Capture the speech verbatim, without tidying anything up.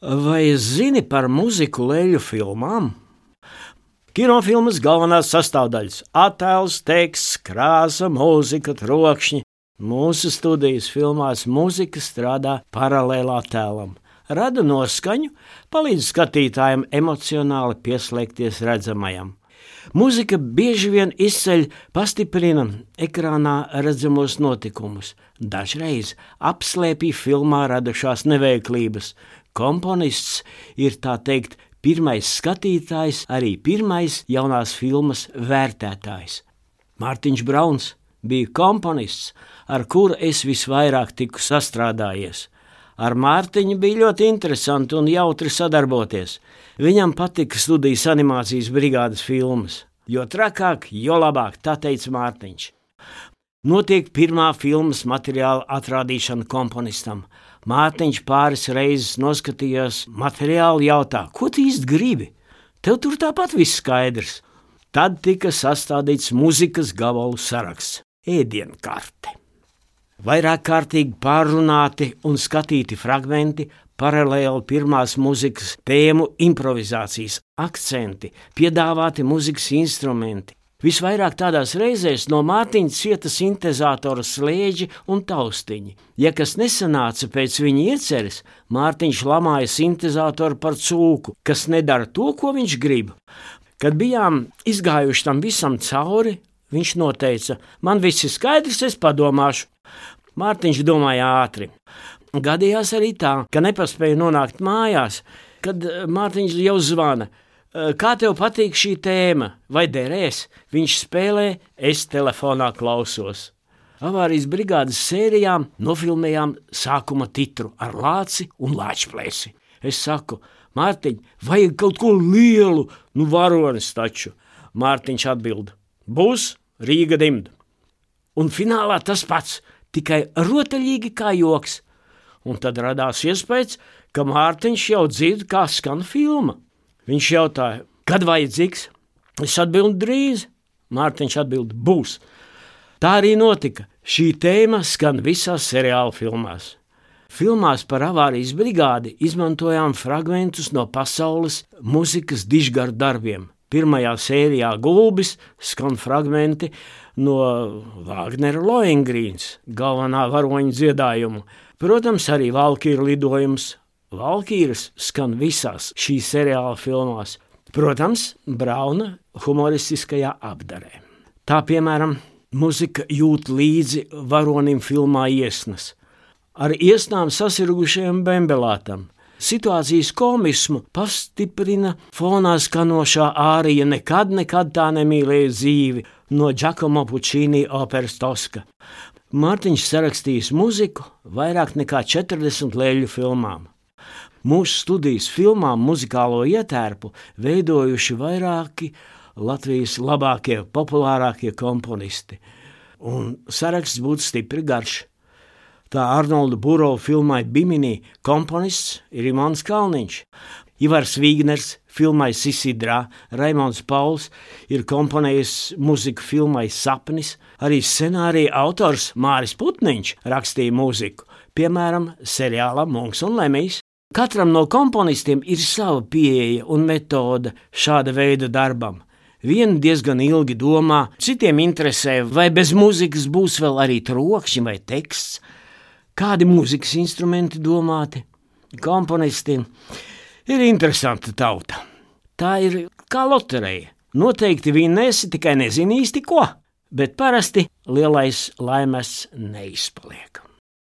Vai zini par muziku leļu filmām? Kinofilmas galvenās sastāvdaļas – attēls, teksts, krāsa, mūzika, trokšņi. Mūsu studijas filmās mūzika strādā paralēli attēlam, rada noskaņu, palīdz skatītājiem emocionāli pieslēgties redzamajam. Mūzika bieži vien izceļ, pastiprina ekrānā redzamos notikumus, dažreiz apslēpj filmā radušās neveiklības. Komponists ir, tā teikt, pirmais skatītājs, arī pirmais jaunās filmas vērtētājs. Mārtiņš Brauns bija komponists, ar kuru es visvairāk tiku sastrādājies. Ar Mārtiņu bija ļoti interesanti un jautri sadarboties. Viņam patika studijas animācijas brigādes filmas. Jo trakāk, jo labāk, tā teica Mārtiņš. Notiek pirmā filmas materiāla atrādīšana komponistam. Mārtiņš pāris reizes noskatījās materiālu, jautā, ko tu īsti gribi? Tev tur tāpat viss skaidrs. Tad tika sastādīts muzikas gabalu saraksts, ēdienkarte. Vairāk kārtīgi pārrunāti un skatīti fragmenti, paralēli pirmās muzikas tēmu improvizācijas, akcenti, piedāvāti muzikas instrumenti. Visvairāk tādās reizēs no Mārtiņa cieta sintezātora slēdži un taustiņi. Ja kas nesanāca pēc viņa ieceres, Mārtiņš lamāja sintezātoru par cūku, kas nedara to, ko viņš grib. Kad bijām izgājuši tam visam cauri, viņš noteica, man viss ir skaidrs, es padomāšu. Mārtiņš domāja ātri. Gadījās arī tā, ka nepaspēja nonākt mājās, kad Mārtiņš jau zvana. Kā tev patīk šī tēma? Vai derēs? Viņš spēlē, es telefonā klausos. Avārijas brigādes sērijām nofilmējām sākuma titru ar lāci un lāčplēsi. Es saku, Mārtiņ, vajag kaut ko lielu, nu varonis taču. Mārtiņš atbild, būs Rīga dimda. Un finālā tas pats, tikai rotaļīgi kā joks. Un tad radās iespējas, ka Mārtiņš jau dzird, kā skan filma. Viņš jautāja, kad vajadzīgs? Es atbildu drīz. Mārtiņš atbild, būs. Tā arī notika. Šī tēma skan visās seriāla filmās. Filmās par avārijas brigādi izmantojām fragmentus no pasaules muzikas dižgaru darbiem. Pirmajā sērijā Gulbis skan fragmenti no Vāgnera Lohengrīns, galvenā varoņa dziedājumu. Protams, arī Valkīra lidojums. Valkīras skan visās šīs seriāla filmās. Protams, Brauna humoristiskajā apdarē. Tā, piemēram, muzika jūt līdzi varonim filmā Iesnas. Ar iesnām sasirgušajam bembelātam. Situācijas komismu pastiprina fonā skanošā ārija Nekad, nekad tā nemīlēja dzīvi no Giacomo Puccini operas Toska. Mārtiņš sarakstījis muziku vairāk nekā četrdesmit leļu filmām. Mūsu studijas filmām muzikālo ietērpu veidojuši vairāki Latvijas labākie, populārākie komponisti. Un saraksts būtu stipri garš. Tā Arnolda Burova filmai Bimini komponists ir Imants Kalniņš. Ivars Vīgners filmai Sisidrā, Raimonds Pauls ir komponējis muziku filmai Sapnis. Arī scenārija autors Māris Putniņš rakstīja muziku, piemēram, seriālam Munks un Lemijs. Katram no komponistiem ir sava pieeja un metode šāda veida darbam. Vieni diezgan ilgi domā, citiem interesē, vai bez muzikas būs vēl arī trokšņi vai teksts. Kādi mūzikas instrumenti domāti? Komponisti ir interesanta tauta. Tā ir kā lotereja. Noteikti vinnēsi, tikai nezini īsti ko, bet parasti lielais laimes neizpaliek.